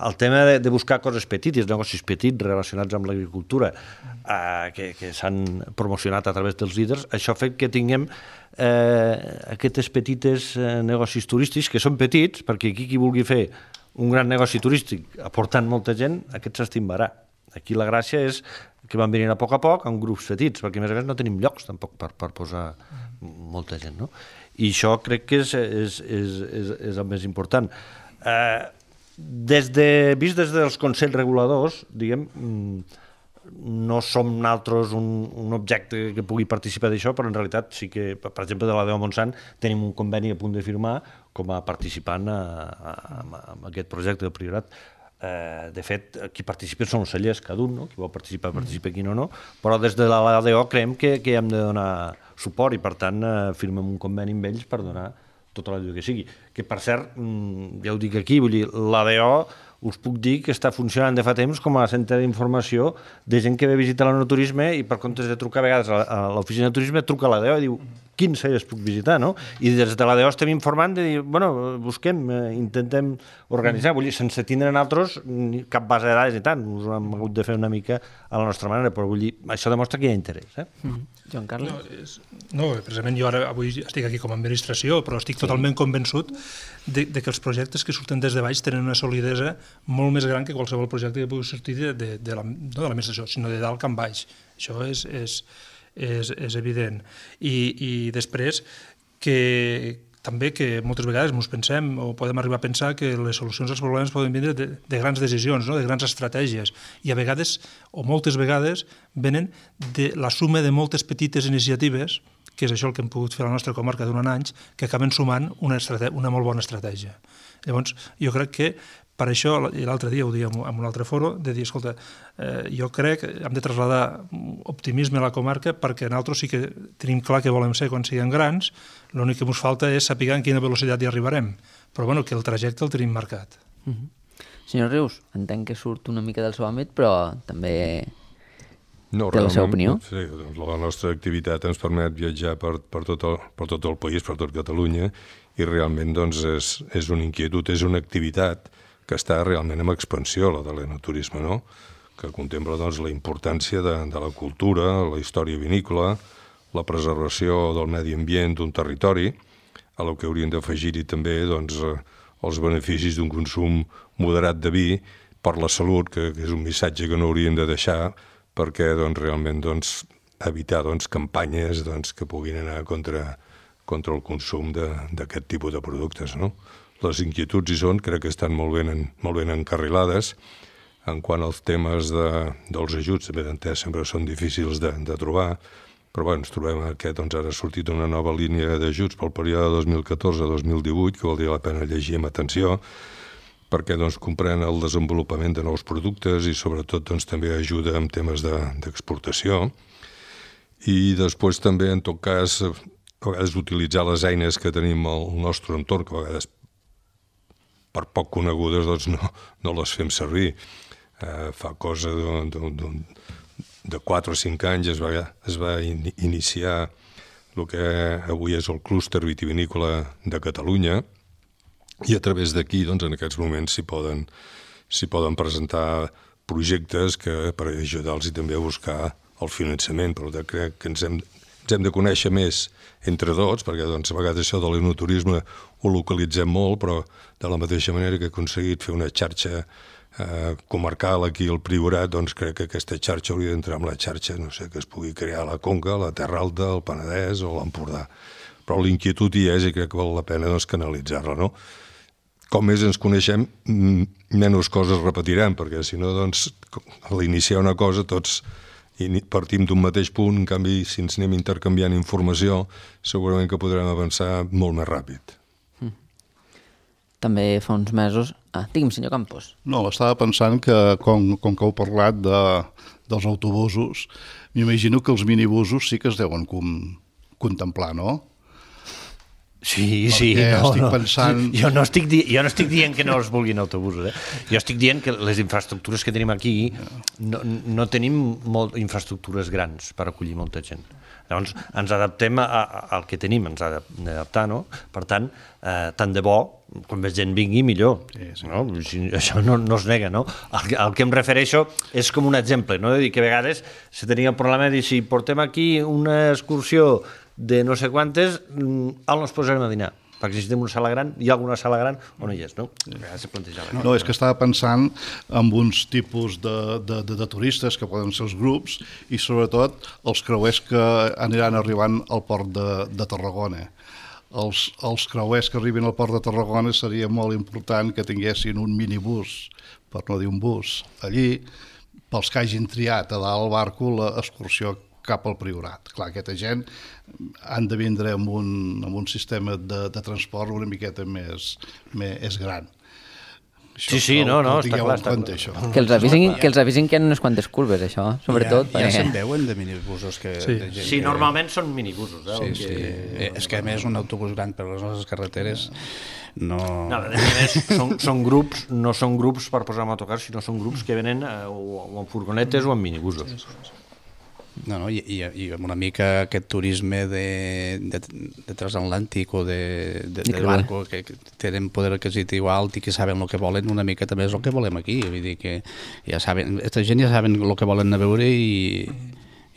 S3: El tema de, de buscar coses petites, negocis petits relacionats amb l'agricultura eh, que, que s'han promocionat a través dels líders, això fa que tinguem eh, aquestes petites eh, negocis turístics que són petits, perquè aquí qui vulgui fer un gran negoci turístic aportant molta gent, aquest s'estimbarà. Aquí la gràcia és que van venir a poc a poc en grups petits, perquè a més a més no tenim llocs tampoc per, per posar molta gent, no? I això crec que és, és, és, és, és el més important. Eh, des de, vist des dels consells reguladors, diguem, no som nosaltres un, un objecte que pugui participar d'això, però en realitat sí que, per exemple, de la D O Montsant tenim un conveni a punt de firmar com a participant a, a, a, a aquest projecte del Priorat. Eh, de fet, qui participa són els cellers, cada un, no? Qui vol participar, participa, qui no, no. Però des de la D O creiem que, que hem de donar suport i, per tant, eh, firmem un conveni amb ells per donar tota l'ajuda que sigui. Que, per cert, ja ho dic aquí, vull dir, la D O us puc dir que està funcionant de fa temps com a centre d'informació de gent que ve a visitar l'enoturisme i per comptes de trucar a vegades a l'oficina de turisme, truca a la D O i diu quins cellers puc visitar, no? I des de la D O estem informant de dir, bueno, busquem, eh, intentem organitzar, vull dir, sense tindre nosaltres cap base de dades i tant, us hem hagut de fer una mica a la nostra manera, però vull dir, això demostra que hi ha interès, eh?
S1: Mm. Joan Carles?
S7: No, és, no, precisament jo ara avui estic aquí com a administració, però estic sí. totalment convençut de, de que els projectes que surten des de baix tenen una solidesa molt més gran que qualsevol projecte que pugui sortir de, de, de la, no de l'administració, sinó de dalt cap baix. Això és, és, és, és evident. I, i després que també que moltes vegades ens pensem o podem arribar a pensar que les solucions als problemes poden vindre de, de grans decisions, no? De grans estratègies, i a vegades, o moltes vegades, venen de la suma de moltes petites iniciatives, que és això el que hem pogut fer a la nostra comarca durant anys, que acaben sumant una, una molt bona estratègia. Llavors, jo crec que per això, i l'altre dia ho dèiem en un altre foro, de dir, escolta, eh, jo crec que hem de traslladar optimisme a la comarca perquè nosaltres sí que tenim clar que volem ser quan siguem grans, l'únic que ens falta és saber en quina velocitat hi arribarem, però bueno, que el trajecte el tenim marcat.
S1: Mm-hmm. Senyor Rius, entenc que surt una mica del seu àmbit, però també
S6: no,
S1: té la seva opinió.
S6: Sí, la nostra activitat ens permet viatjar per, per, tot el, per tot el país, per tot Catalunya, i realment doncs, és, és una inquietud, és una activitat que està realment en expansió, la de l'enoturisme, no? Que contempla doncs, la importància de, de la cultura, la història vinícola, la preservació del medi ambient d'un territori, a la que haurien d'afegir-hi també doncs, els beneficis d'un consum moderat de vi per la salut, que, que és un missatge que no haurien de deixar, perquè doncs, realment doncs, evitar doncs, campanyes doncs, que puguin anar contra, contra el consum d'aquest tipus de productes, no? Les inquietuds hi són, crec que estan molt ben, en, molt ben encarrilades. En quant als temes de, dels ajuts, també d'entès sempre són difícils de, de trobar, però bé, ens trobem que doncs, ara ha sortit una nova línia d'ajuts pel període dos mil catorze a dos mil divuit, que valdria la pena llegir amb atenció, perquè doncs, comprèn el desenvolupament de nous productes i sobretot doncs, també ajuda en temes d'exportació. De, I després també, en tot cas, a vegades utilitzar les eines que tenim al nostre entorn, que a vegades per poc conegudes doncs no, no les fem servir. Eh, fa cosa d'un, d'un, d'un, de quatre o cinc anys es va, es va in, iniciar el que avui és el clúster vitivinícola de Catalunya, i a través d'aquí, doncs, en aquests moments s'hi poden, s'hi poden presentar projectes que per ajudar-los i també a buscar el finançament. Per tant, crec que ens hem, ens hem de conèixer més entre tots, perquè doncs, a vegades això de l'enoturisme ho localitzem molt, però de la mateixa manera que he aconseguit fer una xarxa eh, comarcal aquí al Priorat, doncs crec que aquesta xarxa hauria d'entrar en la xarxa, no sé, que es pugui crear a la Conca, la Terra Alta, el Penedès o l'Empordà. Però l'inquietud hi és i crec que val la pena doncs, canalitzar-la, no? Com més ens coneixem, menys coses repetirem, perquè si no, doncs, a l'iniciar una cosa tots partim d'un mateix punt, en canvi, si ens anem intercanviant informació, segurament que podrem avançar molt més ràpid.
S1: Mm. També fa uns mesos... Ah, digui'm, senyor Campos.
S5: No, estava pensant que, com, com que heu parlat de, dels autobusos, m'imagino que els minibusos sí que es deuen com, contemplar, no?
S3: Sí, sí, no, estic no. Pensant... Jo, no estic di... jo no estic dient que no els vulguin autobusos, eh? Jo estic dient que les infraestructures que tenim aquí no, no tenim molt infraestructures grans per acollir molta gent. Llavors, ens adaptem a, a, al que tenim, ens adaptem d'adaptar, no? Per tant, eh, tant de bo, quan més gent vingui, millor. Sí, sí. No? Això no, no es nega, no? El, el que em refereixo és com un exemple, no? De dir que a vegades se tenia el problema de dir, si portem aquí una excursió de no sé quantes, on ens posarem a dinar? Perquè si tenim una sala gran, hi ha alguna sala gran o no hi és, no?
S5: No, no, és que estava pensant en uns tipus de, de, de, de turistes que poden ser els grups i sobretot els creuers que aniran arribant al port de, de Tarragona. Els, els creuers que arribin al port de Tarragona seria molt important que tinguessin un minibús, per no dir un bus, allí, pels que hagin triat a dalt el barco l'excursió cap al Priorat. Clar, aquesta gent han de vindre amb un, amb un sistema de, de transport una miqueta més, més gran.
S3: Això, sí, sí, no, no, no està clar. Està
S5: compte,
S3: clar.
S1: Que els avisin, que els avisin que hi ha unes quantes curves, això, sobretot.
S4: Ja, ja se'n veuen de minibusos. Que,
S3: sí,
S4: de gent
S3: sí
S4: que...
S3: normalment són minibusos. Eh,
S4: sí,
S3: que...
S4: sí. És que a més un autobús gran per les nostres carreteres no...
S3: no a més, són, són grups, no són grups per posar en autocar, sinó són grups que venen eh, o, o en furgonetes o en minibusos. Sí, sí, sí.
S4: No, no, i, i, i amb una mica aquest turisme de, de, de transatlàntic o de, de, de barco que, que tenen poder adquisitiu alt i que saben el que volen, una mica també és el que volem aquí. Vull dir que ja saben, aquesta gent ja saben el que volen a veure i,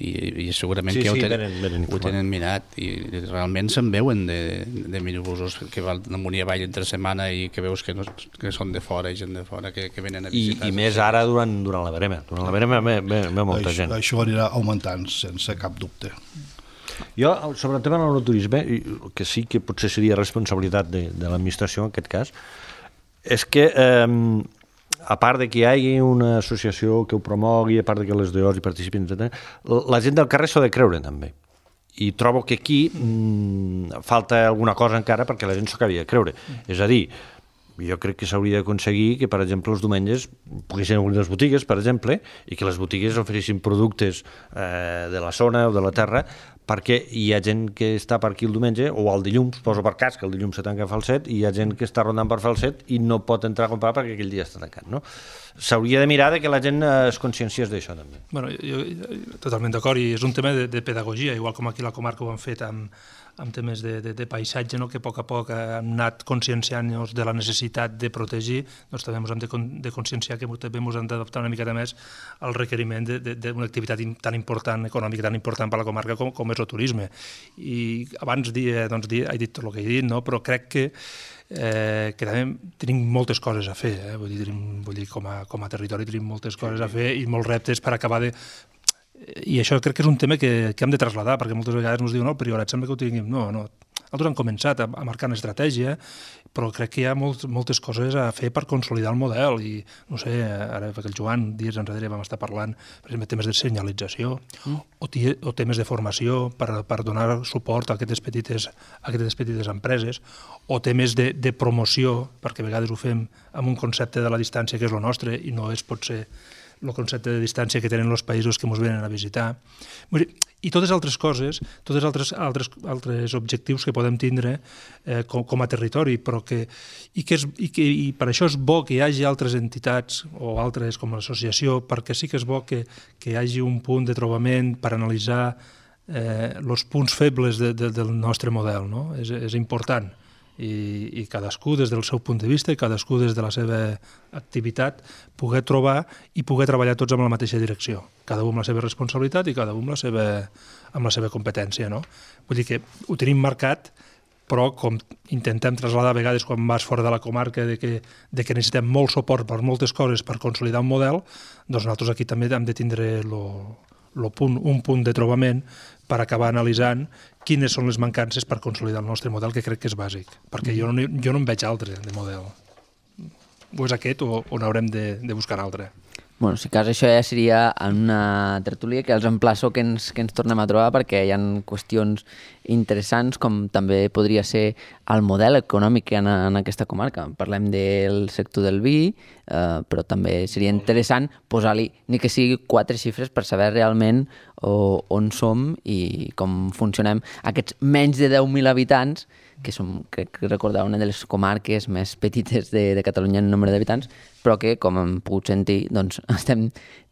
S4: i, i segurament
S3: sí,
S4: que ja
S3: sí,
S4: ho, ten,
S3: venen, venen
S4: ho tenen mirat i realment se'n veuen de, de minibusos que van amunt i avall entre setmana i que veus que, no, que són de fora, gent de fora que, que venen a visitar.
S3: I, i més ara durant, durant la verema. Durant la verema ve, ve, ve molta
S5: això,
S3: gent.
S5: Això anirà augmentant sense cap dubte.
S3: Jo, sobre el tema del turisme, que sí que potser seria responsabilitat de, de l'administració en aquest cas, és que eh, a part de que hi hagi una associació que ho promogui, a part de que les D Os hi participin, etcètera, la gent del carrer s'ho ha de creure també. I trobo que aquí mmm, falta alguna cosa encara perquè la gent s'ho acabi de creure. És a dir, jo crec que s'hauria d'aconseguir que, per exemple, els diumenges poguessin obrir les botigues, per exemple, i que les botigues oferissin productes eh, de la zona o de la terra, perquè hi ha gent que està per aquí el diumenge, o el dilluns, poso per cas que el dilluns se tanca a Falset, i hi ha gent que està rondant per Falset i no pot entrar a comprar perquè aquell dia està tancat, no? S'hauria de mirar de que la gent es conscienciés d'això, també.
S7: Bueno, jo, jo totalment d'acord, i és un tema de, de pedagogia, igual com aquí a la comarca ho han fet amb, amb temes de, de, de paisatge, no? Que a poc a poc han anat conscienciant-nos de la necessitat de protegir, doncs també ens hem de, de conscienciar que també ens hem d'adaptar una miqueta més al requeriment d'una activitat tan important, econòmica tan important per a la comarca com, com és el turisme. I abans dia, doncs, dia, he dit tot el que he dit, no? Però crec que Eh, que també tenim moltes coses a fer, eh? vull dir, tenim, vull dir com, a, com a territori tenim moltes coses a fer i molts reptes per acabar de... I això crec que és un tema que, que hem de traslladar, perquè moltes vegades ens diuen, no, el Priorat sembla que ho tinguem. No, no, nosaltres hem començat a, a marcar una estratègia, però crec que hi ha molt, moltes coses a fer per consolidar el model i, no sé, ara perquè el Joan dies enrere vam estar parlant, per exemple, temes de senyalització mm. o, tia, o temes de formació per, per donar suport a aquestes petites, a aquestes petites empreses o temes de, de promoció, perquè a vegades ho fem amb un concepte de la distància que és el nostre i no és potser el concepte de distància que tenen els països que ens venen a visitar. i totes altres coses, tots altres, altres, altres objectius que podem tindre eh, com, com a territori, però que, i, que és, i, que, i per això és bo que hi hagi altres entitats o altres com l'associació, perquè sí que és bo que, que hi hagi un punt de trobament per analitzar eh, els punts febles de, de, del nostre model, no? És, és important. I, i cadascú des del seu punt de vista i cadascú des de la seva activitat poder trobar i poder treballar tots amb la mateixa direcció, cada un amb la seva responsabilitat i cada un amb la seva, amb la seva competència, no? Vull dir que ho tenim marcat, però com intentem traslladar a vegades quan vas fora de la comarca de que, de que necessitem molt suport per moltes coses per consolidar un model, doncs nosaltres aquí també hem de tindre lo, lo punt, un punt de trobament per acabar analitzant quines són les mancances per consolidar el nostre model, que crec que és bàsic, perquè jo no, jo no en veig altre de model. O és aquest o, o n'haurem de, de buscar altre.
S1: Bueno, si cas això ja seria en una tertúlia que els emplaço que ens, que ens tornem a trobar, perquè hi ha qüestions interessants com també podria ser el model econòmic que hi ha en aquesta comarca. Parlem del sector del vi, eh, però també seria interessant posar-li, ni que sigui quatre xifres per saber realment o, on som i com funcionem. Aquests menys de deu mil habitants, que som, crec que recordar, una de les comarques més petites de, de Catalunya en nombre d'habitants, però que, com hem pogut sentir, doncs, estem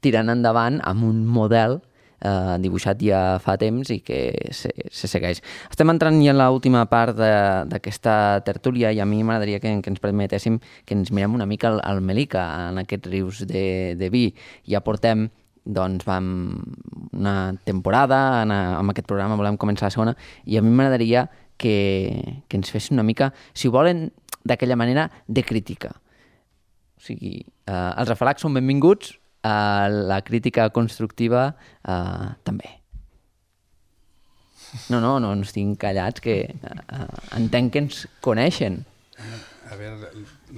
S1: tirant endavant amb un model eh, dibuixat ja fa temps i que se, se segueix. Estem entrant ja en l'última part d'aquesta tertúlia i a mi m'agradaria que, que ens permetéssim que ens mirem una mica al, al Melica, en aquests rius de, de vi. Ja portem, doncs, vam una temporada, en, amb aquest programa volem començar la segona, i a mi m'agradaria que, que ens fessin una mica, si ho volen, d'aquella manera de crítica. O sigui, eh, els afalacs són benvinguts, eh, la crítica constructiva eh, també. No, no, no ens tinc callats, que eh, entenc que ens coneixen.
S4: A veure,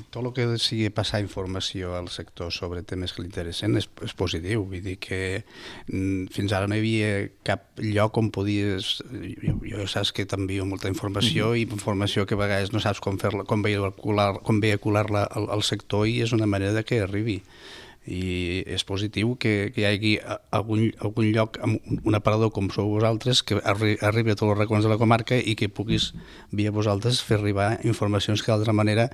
S4: tot el que sigui passar informació al sector sobre temes que li interessen és, és positiu. Vull dir que mm, fins ara no hi havia cap lloc on podies... Jo, jo saps que t'envio molta informació mm-hmm. i informació que a vegades no saps com fer-la, com vehicular, com vehicular-la al, al sector, i és una manera de que arribi. I és positiu que, que hi hagi algun, algun lloc, un aparador com sou vosaltres, que arri, arribi a tots els racons de la comarca i que puguis, via vosaltres, fer arribar informacions que d'altra manera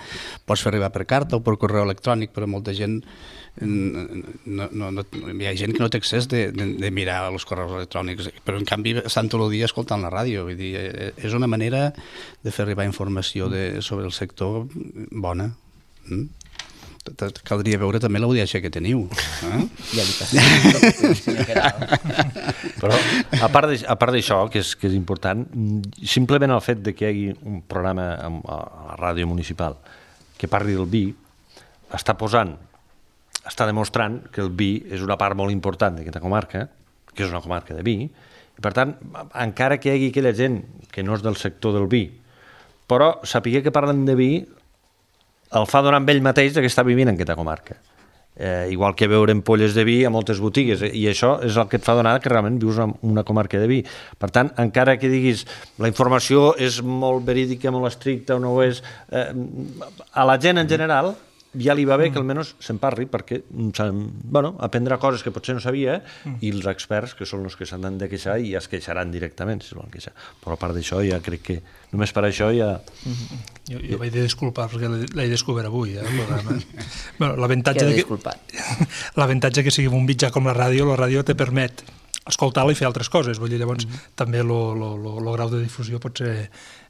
S4: pots fer arribar per carta o per correu electrònic, però molta gent, no, no, no, hi ha gent que no té accés de, de, de mirar els correus electrònics, però en canvi estan tot el dia escoltant la ràdio. Vull dir, és una manera de fer arribar informació de, sobre el sector bona. Mm? Caldria veure també l'audiència que teniu. Eh?
S1: Ja li passem.
S3: Però, a part d'això, que, és, que és important, simplement el fet de que hi hagi un programa a la ràdio municipal que parli del vi, està posant, està demostrant que el vi és una part molt important d'aquesta comarca, que és una comarca de vi, i per tant, encara que hi hagi aquella gent que no és del sector del vi, però sapiguer que parlen de vi el fa donar amb ell mateix que està vivint en aquesta comarca. Eh, igual que veure ampolles de vi a moltes botigues, i això és el que et fa donar que realment vius en una comarca de vi. Per tant, encara que diguis la informació és molt verídica, molt estricta o no ho és, eh, a la gent en general ja li va bé que almenys se'n parli, perquè bueno, aprendrà coses que potser no sabia, i els experts, que són els que s'han de queixar, i ja es queixaran directament si es volen queixar. Però a part d'això, ja crec que només per això ja...
S7: Jo, jo vaig de disculpar perquè l'he descobert avui, eh, el programa. Bueno, l'avantatge
S1: Què
S7: de
S1: he
S7: que,
S1: disculpat?
S7: l'avantatge que sigui un mitjà com la ràdio, la ràdio te permet escoltar-la i fer altres coses. Vull dir, llavors, mm-hmm. també el grau de difusió pot ser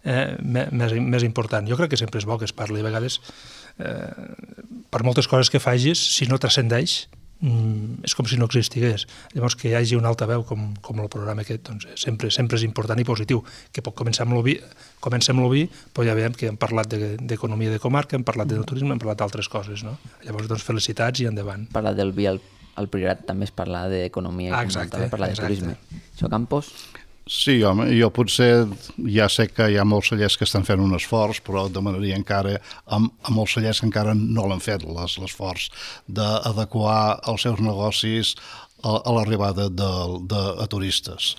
S7: eh, més, més important. Jo crec que sempre és bo que es parli. A vegades, eh, per moltes coses que facis, si no transcendeix, mm, és com si no existigués. Llavors, que hi hagi un altaveu com, com el programa aquest, doncs, sempre, sempre és important i positiu. Que pot començar amb l'oví, comença amb l'oví, però ja veiem que hem parlat d'economia de, de comarca, hem parlat de turisme, hem parlat d'altres coses, no? Llavors, doncs, felicitats i endavant.
S1: Parlar del vi al al Priorat també es parla d'economia,
S7: ah,
S1: i també parla de turisme. Això, Campos?
S5: Sí, home, jo potser ja sé que hi ha molts cellers que estan fent un esforç, però demanaria encara amb, amb molts cellers que encara no l'han fet, l'esforç d'adequar els seus negocis a, a l'arribada de, de, de turistes.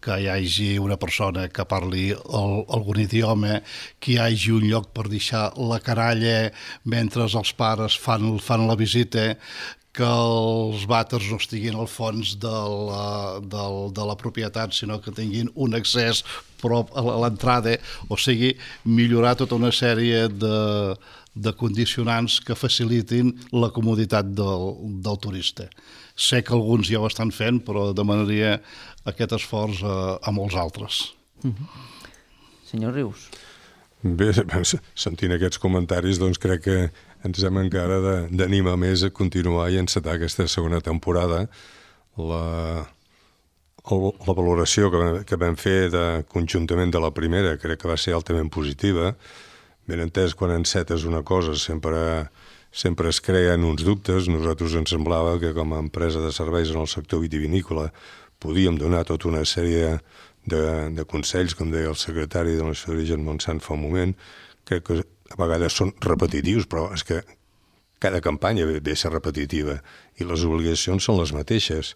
S5: Que hi hagi una persona que parli el, algun idioma, que hi hagi un lloc per deixar la caralla mentre els pares fan, fan la visita, que els vàters no estiguin al fons de la, de, de la propietat, sinó que tinguin un accés prop a l'entrada, o sigui, millorar tota una sèrie de, de condicionants que facilitin la comoditat del, del turista. Sé que alguns ja ho estan fent, però demanaria aquest esforç a, a molts altres.
S1: Mm-hmm. Senyor Rius.
S6: Bé, sentint aquests comentaris, doncs crec que ens hem encara d'animar més a continuar i encetar aquesta segona temporada. La, la valoració que, que vam fer de, conjuntament de la primera crec que va ser altament positiva. Ben entès, quan encetes una cosa sempre, sempre es creen uns dubtes. Nosaltres ens semblava que com a empresa de serveis en el sector vitivinícola podíem donar tota una sèrie de, de consells, com deia el secretari de l'Universitat d'Origen Montsant fa un moment, crec que a vegades són repetitius, però és que cada campanya ve a ser repetitiva i les obligacions són les mateixes.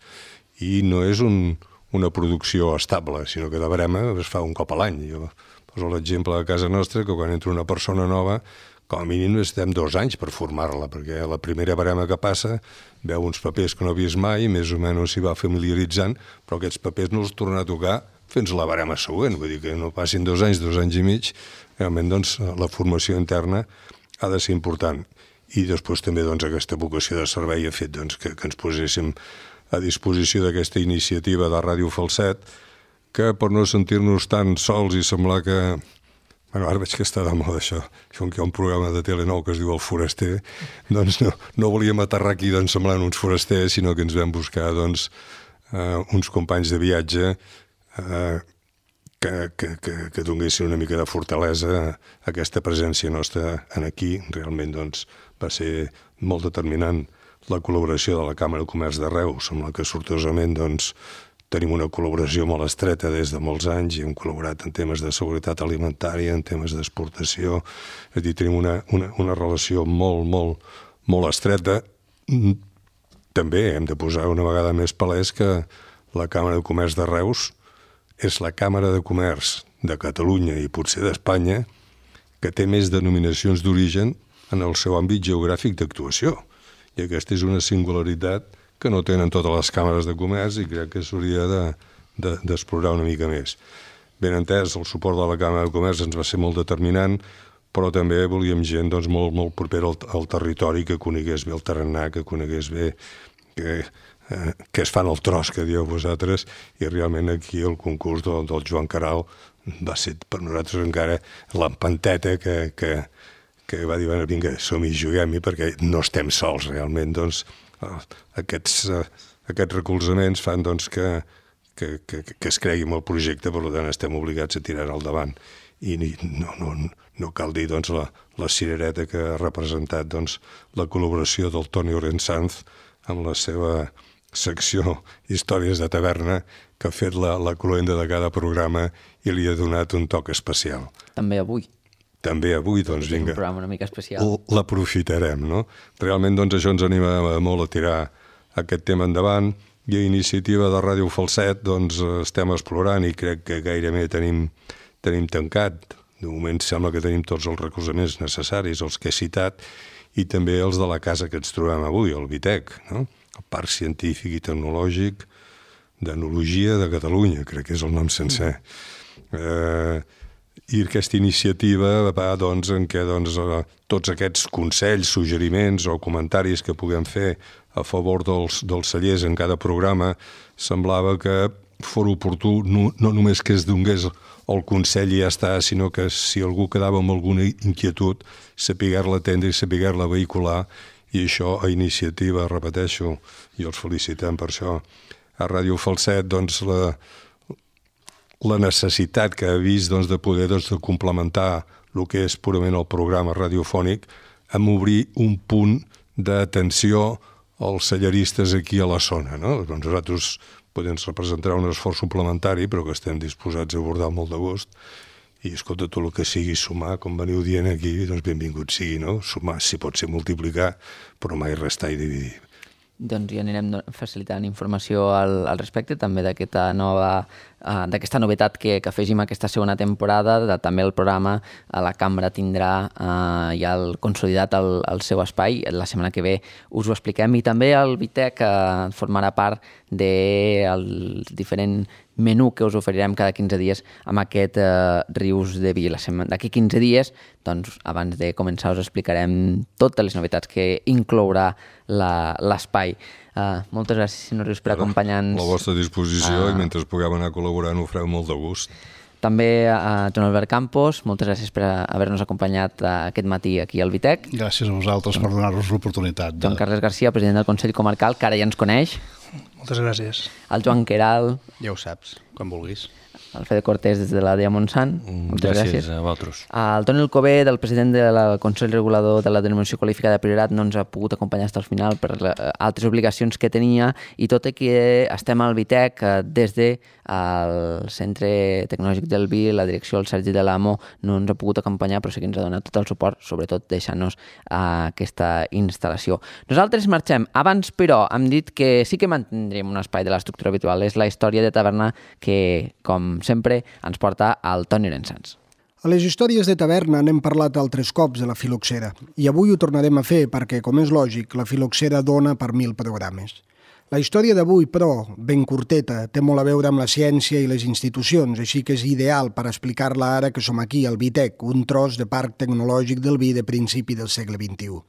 S6: I no és un, una producció estable, sinó que de barema es fa un cop a l'any. Jo poso l'exemple de casa nostra, que quan entra una persona nova, com a mínim estem dos anys per formar-la, perquè la primera barema que passa veu uns papers que no ha vist mai, més o menys s'hi va familiaritzant, però aquests papers no els torna a tocar fins a la barema següent. Vull dir que no passin dos anys, dos anys i mig, realment doncs, la formació interna ha de ser important. I després també doncs, aquesta vocació de servei ha fet doncs, que, que ens poséssim a disposició d'aquesta iniciativa de Ràdio Falset, que per no sentir-nos tan sols i semblar que... Bueno, ara veig que està de moda això, com que hi ha un programa de tele nou que es diu El Foraster, doncs no, no volíem aterrar aquí doncs, semblant uns forasters, sinó que ens vam buscar doncs, uh, uns companys de viatge uh, que, que, que, que donguessin una mica de fortalesa a aquesta presència nostra en aquí. Realment doncs, va ser molt determinant la col·laboració de la Càmera de Comerç de Reus, amb la que sortosament doncs, tenim una col·laboració molt estreta des de molts anys i hem col·laborat en temes de seguretat alimentària, en temes d'exportació. És a dir, tenim una, una, una relació molt, molt, molt estreta. També hem de posar una vegada més palès que la Càmera de Comerç de Reus és la Càmera de Comerç de Catalunya i potser d'Espanya que té més denominacions d'origen en el seu àmbit geogràfic d'actuació. I aquesta és una singularitat que no tenen totes les càmeres de comerç i crec que s'hauria de, de, d'explorar una mica més. Ben entès, el suport de la Càmera de Comerç ens va ser molt determinant, però també volíem gent doncs, molt, molt propera al, al territori, que conegués bé el tarannà, que conegués bé que, eh, que es fan el tros, que dieu vosaltres, i realment aquí el concurs del, del Joan Caral va ser per nosaltres encara l'empanteta que, que, que va dir, bueno, vinga, som-hi, juguem-hi, perquè no estem sols realment, doncs, Aquests, uh, aquests recolzaments fan doncs, que, que, que, que es cregui en el projecte, per tant estem obligats a tirar al davant. I no, no, no cal dir doncs, la, la cirereta que ha representat doncs, la col·laboració del Toni Orensanz amb la seva secció Històries de Taverna, que ha fet la, la cloenda de cada programa i li ha donat un toc especial.
S1: També avui.
S6: També avui, doncs, vinga,
S1: un programa una mica especial.
S6: L'aprofitarem, no? Realment, doncs, això ens anima molt a tirar aquest tema endavant i a iniciativa de Ràdio Falset, doncs, estem explorant i crec que gairebé tenim, tenim tancat. De moment sembla que tenim tots els recolzaments necessaris, els que he citat, i també els de la casa que ens trobem avui, el Vitec, no? El Parc Científic i Tecnològic d'Enologia de Catalunya, crec que és el nom sencer. Eh... I aquesta iniciativa va doncs, en què doncs, tots aquests consells, suggeriments o comentaris que puguem fer a favor dels, dels cellers en cada programa semblava que fos oportú no, no només que es donés el consell i ja està, sinó que si algú quedava amb alguna inquietud, saber-la atendre i saber-la vehicular, i això a iniciativa, repeteixo, i els felicitem per això, a Ràdio Falset, doncs la... la necessitat que ha vist doncs, de poder doncs, de complementar el que és purament el programa radiofònic amb obrir un punt d'atenció als celleristes aquí a la zona. No? Doncs nosaltres podem representar un esforç suplementari, però que estem disposats a abordar molt de gust. I, escolta, tot el que sigui sumar, com veniu dient aquí, doncs benvingut sigui, no? Sumar, si pot ser multiplicar, però mai restar i dividir.
S1: Doncs ja anirem facilitant informació al, al respecte, també d'aquesta nova uh, d'aquesta novetat que, que afegim aquesta segona temporada, de, també el programa a la cambra tindrà uh, ja el consolidat el, el seu espai, la setmana que ve us ho expliquem, i també el Vitec uh, formarà part del diferent menú que us oferirem cada quinze dies amb aquest uh, Rius de Vi. D'aquí quinze dies, doncs, abans de començar us explicarem totes les novetats que inclourà l'espai. Uh, moltes gràcies, senyor Rius, per acompanyar-nos.
S6: A la vostra disposició, uh, i mentre puguem anar col·laborant ho fareu molt de gust.
S1: També a Joan Albert Campos, moltes gràcies per haver-nos acompanyat aquest matí aquí al Vitec.
S5: Gràcies a vosaltres per donar-nos l'oportunitat. De...
S1: Joan Carles Garcia, president del Consell Comarcal, que ara ja ens coneix.
S7: Moltes gràcies.
S1: El Joan Queral.
S4: Ja ho saps, quan vulguis.
S1: El Fede Cortés des de la D E A Montsant. Moltes gràcies.
S3: Gràcies a vosaltres.
S1: El Toni Alcobé, del president del Consell Regulador de la Denominació Qualificada de Priorat, no ens ha pogut acompanyar fins al final per altres obligacions que tenia, i tot i que estem al Vitec des de el Centre Tecnològic del Vi, la direcció del Sergi de l'Amo no ens ha pogut acompanyar, però sí que ens ha donat tot el suport, sobretot deixant-nos aquesta instal·lació. Nosaltres marxem. Abans, però, hem dit que sí que mantindrem un espai de l'estructura habitual. És la història de taverna que, com sempre, ens porta al Toni Llorensans.
S8: A les històries de taverna n'hem parlat altres cops de la filoxera, i avui ho tornarem a fer perquè, com és lògic, la filoxera dona per mil programes. La història d'avui, però, ben curteta, té molt a veure amb la ciència i les institucions, així que és ideal per explicar-la ara que som aquí, al Vitec, un tros de parc tecnològic del vi de principi del segle vint-i-u.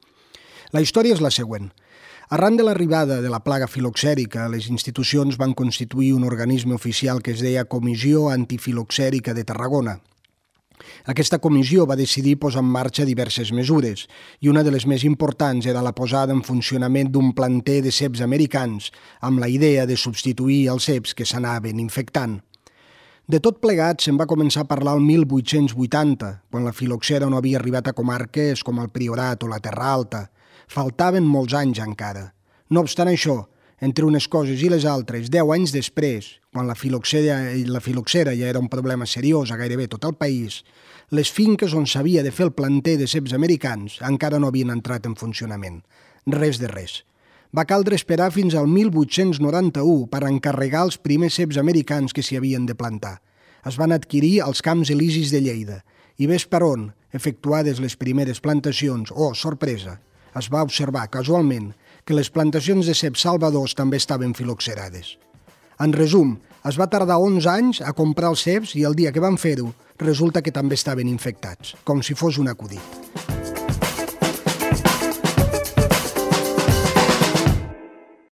S8: La història és la següent. Arran de l'arribada de la plaga filoxèrica, les institucions van constituir un organisme oficial que es deia Comissió Antifiloxèrica de Tarragona. Aquesta comissió va decidir posar en marxa diverses mesures, i una de les més importants era la posada en funcionament d'un planter de ceps americans, amb la idea de substituir els ceps que s'anaven infectant. De tot plegat se'n va començar a parlar el mil vuit-cents vuitanta, quan la filoxera no havia arribat a comarques com el Priorat o la Terra Alta. Faltaven molts anys encara. No obstant això, entre unes coses i les altres, deu anys després, quan la filoxera, la filoxera ja era un problema seriós a gairebé tot el país, les finques on s'havia de fer el planter de ceps americans encara no havien entrat en funcionament. Res de res. Va caldre esperar fins al mil vuit-cents noranta-u per encarregar els primers ceps americans que s'hi havien de plantar. Es van adquirir als Camps Elisis de Lleida, i ves per on, efectuades les primeres plantacions, oh, sorpresa, es va observar casualment que les plantacions de ceps salvadors també estaven filoxerades. En resum, es va tardar onze anys a comprar els ceps i el dia que van fer-ho resulta que també estaven infectats, com si fos un acudit.